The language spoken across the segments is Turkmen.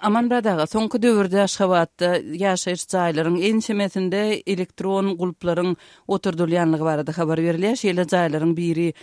Amanmyrat aga, soňky döwürde Aşgabatda ýaşaýyş jaýlaryň ençemesinde elektron gulplaryň oturdylýanlygy barada habar berilýär. Şeýle jaýlaryň biri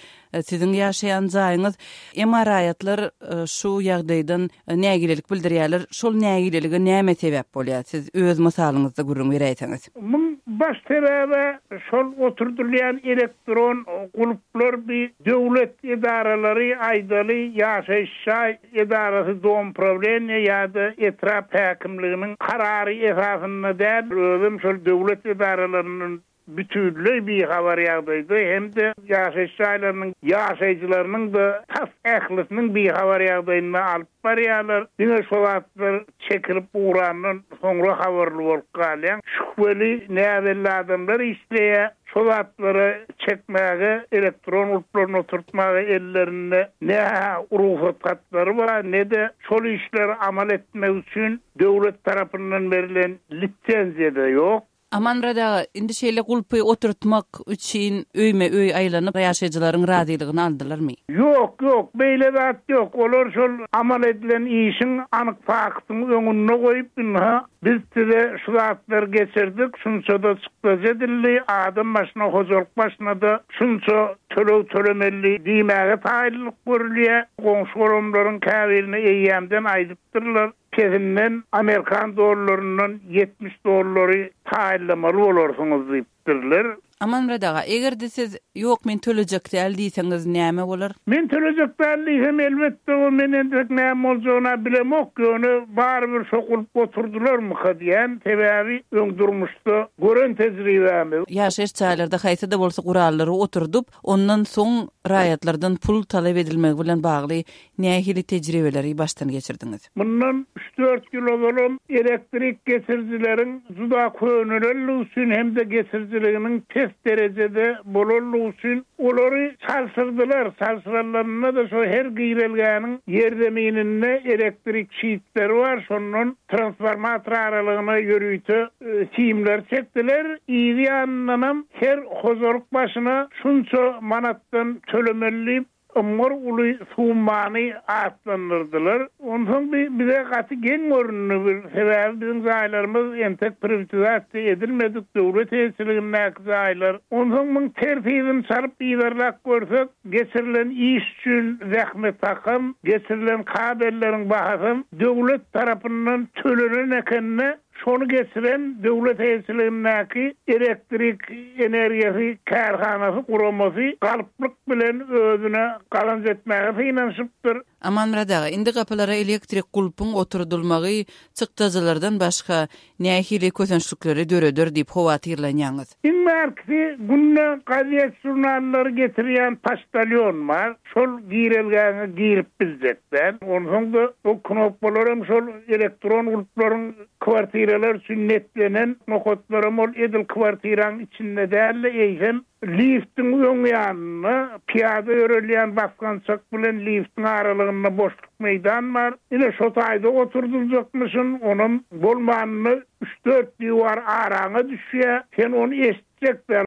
siziň ýaşaýan jaýyňyz. Emma raýatlar şu ýagdaýdan nägilelik bildirýärler. Şol nägilelige näme sebäp bolýar? Siz öz mysalyňyzda gürrüň beräýseňiz. Muň baş sebäbi şol oturdylýan elektron gulplar bi döwlet edaralary aýdaly ýaşaýyş jaý edarasy domprawleniýe ýa-da etrap häkimliginiň karary esasynda däl, özem şol döwlet edaralaryndan bütinleý bihabar ýagdaýda hem-de ýaşaýyş jaýlarynyň ýaşaýjylarynyň-da tas ählisiniň bihabar ýagdaýynda alyp barýarlar. Diňe şo zatlar çekilip ugrandan soňra habarly bolup galýaň. Şübheli, näbelli adamlar işleýär. Şo zatlary çekmäge, elektron gulplaryny oturtmaga ellerinde ne-hä rugsat hatlary bar, ne-de şol işleri amal etmek üçin döwlet tarapyndan berlen lisenziýa-da ýok. Amanmyrat aga, indi şeýle gulpy oturtmak üçin öýme-öý aýlanyp, ýaşaýjylaryň razylygyny aldylarmy? Ýok, ýok, beýle zat ýok. Olar şol amal edilen işiň anyk faktyny öňünde goýup, ynha, Biz size şu zatlary geçirdik, şunça-da çykdajy edildi, adam başyna, hojalyk başyna-da şunça töleg tölemeli diýmäge taýynlyk görülýär. Goňşy-golamlaryň käbirine eýýämden aýdypdyrlar, pesinden amerikan dollaryndan 70 dollary taýynlamaly bolarsyňyz diýipdirler. Amanmyrat aga, eger-de siz, Ýok, men tölejek däl diýseňiz näme bolar? Men tölejek däl diýsem, elbetde, o men entek näme boljagyny-a bilemok, ýöne barybir şo gulp oturdylarmyka diýýän, sebäbi öň durmuşda gören tejribämiz. Ýaşaýyş jaýlarda haýsy-da bolsa gurallary oturdyp, ondan soň raýatlardan pul talap edilmegi bilen bagly nähili tejribeleri başdan geçirdiňiz? Mundan üç-dört ýyl ozalam elektrik geçirijileriň juda könelenligi üçin hem-de geçirijiliginiň pes derejede bolanlygy üçin olary çalşyrdylar. Çalşyranlarynda-da şo her girelgäniň ýerzemininde elektrik şitleri bar, şondan transformator aralygyna ýörite simler çekdiler. Yzy ýanyndanam her hojalyk başyna şunça manatdan tölemeli diýip, Ymgyr uly summany atlandyrdylar. Onsoň bi bize gaty geň göründi. Bir sebäbi biziň jaýlarymyz entek priwtizasiýa edilmedik döwlet eýeçiligindäki jaýlar. Onsoň muň tertibini çalyp yzarlap görsek, geçirilen iş üçin zähmet hakam, geçirilen kabelleriň bahasam döwlet tarapyndan tölenen ekende, Şony geçiren döwlet eýeçiligindäki elektrik energiýasy kärhanasy guramasy galplyk bilen özüne gazanç etmäge synanyşypdyr. Amanmyrat aga, indi gapylara elektrik gulpuň oturdylmagy çykdajylardan başga nähili kösençlikleri döreder diýip howatyrlanýaňyz? Iň bärkisi günde gazet-žurnallary getirýän poçtalýon bar. Şol girelgäňe girip biljek däl. Onsoň-da o knopkalar hem şol elektron gulplaryň kwartiralar üçin netlenen nokatlaram ol edil kwartiraň içinde däl-de, eýsem liftiň öň ýanynda pyýada ýörelýän basgançak bilen liftiň aralygynda boşluk meýdan bar. Ine şo taýda oturdyljakmyşyn, onam bolmanynda üç-dört diwar araňa düşýär. Sen ony eşitjek däl.